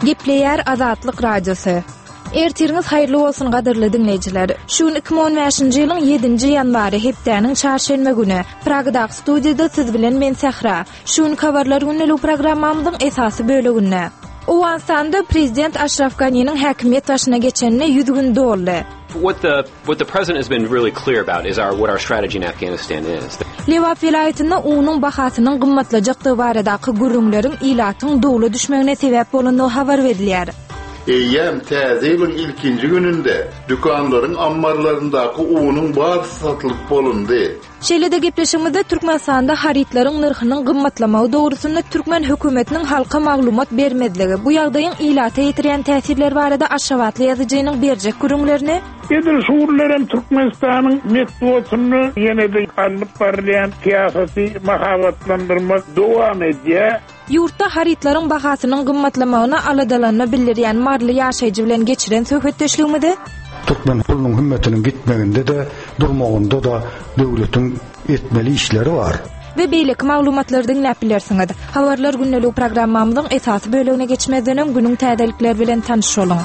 Gepleýär Azatlyk Radiosy. Ertiriňiz haýyrly bolsun gadyrly diňleýjiler. Şu gün 2015-nji ýylyň 7-nji ýanwary hepdäniň çarşenbe güni. Pragadaky studiýada siz bilen men Sähra. Şu günki habarlar gündelik programmamyzyň esasy böleginde. Owganystanda prezident Aşraf Ganiniň häkimiýet başyna geçenine 100 gün doldy. What the what the president has been really clear about is our what our strategy in Afghanistan is. Lebap welaýatynda unuň bahasynyň gymmatlajakdygy baradaky gürrüňleriň ilatyň dowla düşmegine sebäp bolandygy habar berilýär. Eýýäm Täze ýylyň ilkinji gününde dükanlaryň ammarlaryndaky unuň barysy satylyp bolundy. Şeýle-de gepleşigimizde Türkmenistanda harytlaryň nyrhynyň gymmatlamagy dogrusynda türkmen hökümetiniň halka maglumat bermezligi, bu ýagdaýyň ilata ýetirýän täsirleri barada aşgabatly ýazyjynyň berjek gürrüňlerini, Edil şu günlerem Türkmenistanyň metbugatynda ýene-de alnyp barylýan syýasaty mahabatlandyrmak dowam edýär. Ýurtda harytlaryň bahasynyň gymmatlamagyna aladalanma bildirýän maryly ýaşaýjy bilen geçiren söhbetdeşligimizi, Türkmen pulunyň hümmetiniň gitmeginde-de, durmagynda-da döwletiň etmeli işleri bar. We beýleki maglumatlary diňläp bilersiňiz. Habarlar gündeligi programmamyzyň esasy bölegine geçmezden öň günüň täzelikleri bilen tanyş boluň.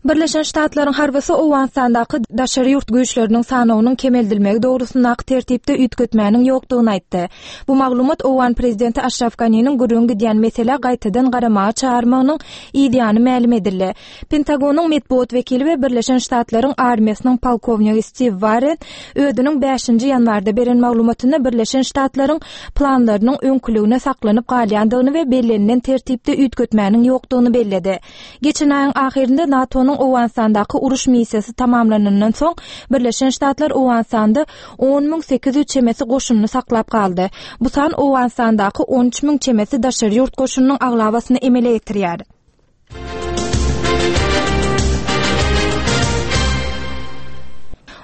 Birleşen Ştatlaryň harbysy Owganystandaky daşary ýurt güýçleriniň sanawynyň kemeldilmegi dogrusyndaky tertipde üýtgetmäniň ýokdugyny aýtdy. Bu maglumat owgan prezidenti Aşraf Ganiniň gürrüňi gidýän meselä gaýtadan garamaga çagyrmagynyň yzýany mälim edildi. Pentagonyň metbugat wekili we Birleşen Ştatlaryň armiýasynyň polkownigi Stiw Warren özüniň bäşinji ýanwarda beren maglumatynda Birleşen Ştatlaryň planlarynyň öňküligine saklanyp galýandygyny we bellenilen tertipde üýtgetmäniň ýokdugyny belledi. Geçen aýyň ahyrynda NATO-nyň Owganystandaky uruş missiýasy tamamlanandan soň, Birleşen Ştatlar Owganystanda 10 800 çemesi goşunyny saklap galdy. Bu san Owganystandaky 13 müň çemesi daşary ýurt goşunynyň aglabasyny emele getirýär.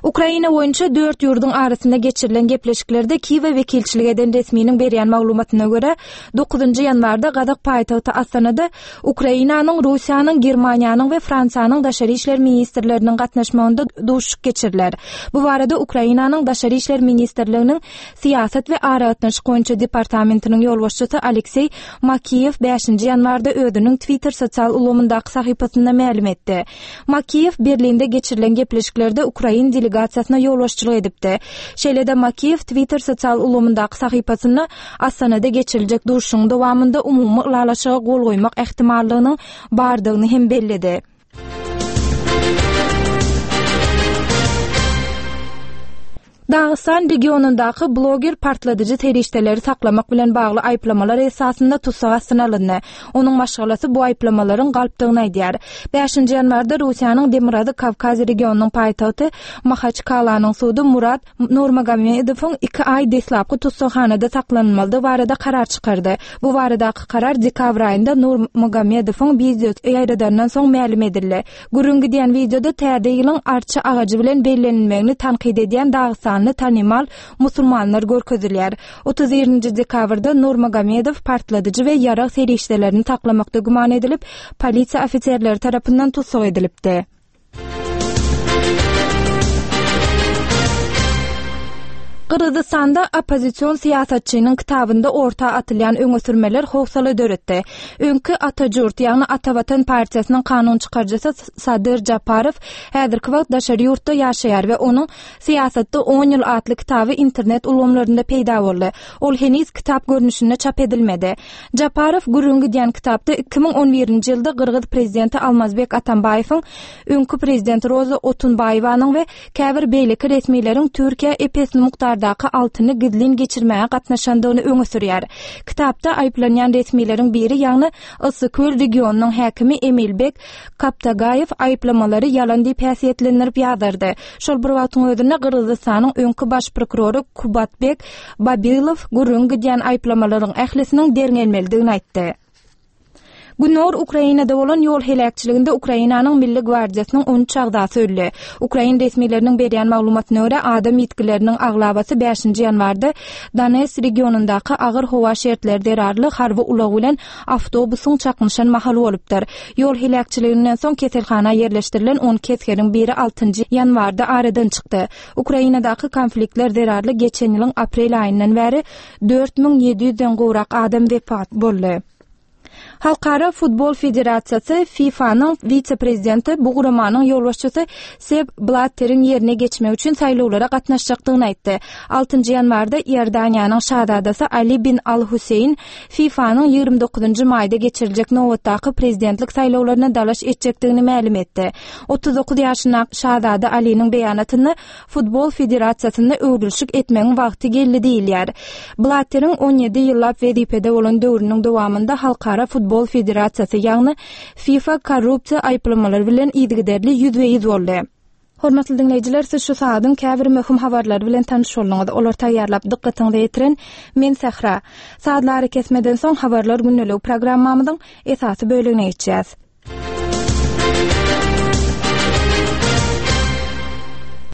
Ukraina boýunça dört ýurduň arasynda geçirilen gepleşiklerde Kiýewe wekilçilik eden resminiň berýän maglumatyna görä, dokuzynjy ýanwarda gazak paýtagty Astanada Ukrainanyň, Russiýanyň, Germaniýanyň we Fransiýanyň daşary işler ministrleriniň gatnaşmagynda duşuşyk geçiriler. Bu barada Ukrainanyň Daşary işler ministrliginiň Syýasat we aragatnaşyk boýunça departamentiniň ýolbaşçysy Alekseý Makiýew bäşinji ýanwarda özüniň Twitter sosial ulgamyndaky sahypasynda mälim etdi. Makiýew Berlinde geçirilen gepleşiklerde ukrain delegasiýasyna ýolbaşçylyk edipdi. Şeýle-de Makiýew Twitter sosial ulgamyndaky sahypasynda Astanada geçiriljek duşuşygyň dowamynda umumy ylalaşyga gol goýmak ähtimallygynyň bardygyny hem belledi. Dagystan regionyndaky bloger partladyjy serişdeleri saklamak bilen bagly aýyplamalar esasynda tussag astyna alyndy. Onuň maşgalasy bu aýyplamalaryň galpdygyny aýdýar. Bäşinji ýanwarda Russiýanyň Demirgazyk Kawkaz regionynyň paýtagty Mahaçkalanyň sudy Murat Nurmagomedowyň iki aý deslapky tussaghanada saklanylmalydygy barada karar çykardy. Bu baradaky karar dekabr aýynda Nurmagomedowyň wideosy ýaýradandan soň mälim edildi. Gürrüň gidýän wideoda Täze ýylyň arça agajy bilen bellenilmegini tankyt edýän dagystanly tanymal musulmanlar görkezilýär. 31-nji dekabrda Nurmagomedow partladyjy we ýarag serişdelerini saklamakda güman edilip, polisiýa ofiserleri tarapyndan tussag edilipdi. Gyrgyzystanda oppozision syýasatçynyň kitabynda orta atylýan öňe sürmeler howsala döretdi. Öňki Ata Jurt, ýagny Ata Watan partiýasynyň kanun çykaryjysy Sadyr Japarow häzirki wagt daşary ýurtda ýaşaýar we onuň Syýasatda on ýyl atly kitaby internet ulgamlarynda peýda boldy. Ol heniz kitap görnüşinde çap edilmedi. Japarow gürrüňi gidýän kitapda 2011-nji ýylda gyrgyz prezidenti Almazbek Atambaýewiň, öňki prezident Roza Otunbaýewanyň we käbir beýleki resmileriň Türkiýä ep-esli mukdardaky altyny gizlin geçirmäge gatnaşandygyny öňe sürýär. Kitapda aýyplanýan resmileriň biri, ýagny Yssyköl regionynyň häkimi Emilbek Kaptagaýew aýyplamalary ýalan diýip häsiýetlendirip ýazardy. Şol bir wagtyň özünde Gyrgyzystanyň öňki baş prokurory Kubatbek Babilow gürrüňi gidýän aýyplamalaryň ählisiniň derňelmelidigini aýtdy. Gündogar Ukrainada bolan ýol heläkçiliginde Ukrainanyň Milli gwardiýasynyň 13 agzasy öldi. Ukrain resmileriniň berýän maglumatyna görä, adam ýitgileriniň aglabasy bäşinji ýanwarda Donetsk regionyndaky agyr howa şertleri zerarly harby ulag bilen awtobusyň çaknyşan mahaly bolupdyr. Ýol heläkçiliginden soň keselhana ýerleşdirilen 12 esgeriň biri altynjy ýanwarda aradan çykdy. Ukrainadaky konfliktler zerarly geçen ýylyň aprel aýyndan bäri 4700 den gowrak adam wepat boldy. Halkara futbol federasiýasy, FIFA-nyň wise-prezidenti, bu guramanyň ýolbaşçysy Sepp Blatteriň ýerine geçmek üçin saýlawlara gatnaşjakdygyny aýtdy. Altynjy ýanwarda Iordaniýanyň şazadasy Ali bin Al-Huseýn FIFA-nyň 29-njy maýda geçiriljek nobatdaky prezidentlik saýlawlaryna dalaş etjekdigini mälim etdi. 39 ýaşyndaky şazada Aliniň beýanatynda Futbol federasiýasynda öwrülişik etmegiň wagty geldi diýilýär. Blatteriň 17 ýyllap wezipede bolan döwrüniň dowamynda Halkara futbol federasiýasy, ýagny FIFA korrupsiýa aýyplamalary bilen yzygiderli ýüzbe-ýüz boldy. Hormatly diňleýjiler, siz şu sagadyň käbir möhüm habarlary bilen tanyş bolduňyz. Olary taýýarlap dykgatyňyza ýetiren men Sähra. Sazly arakesmeden soň Habarlar gündeligi programmamyzyň esasy bölegine geçýäs.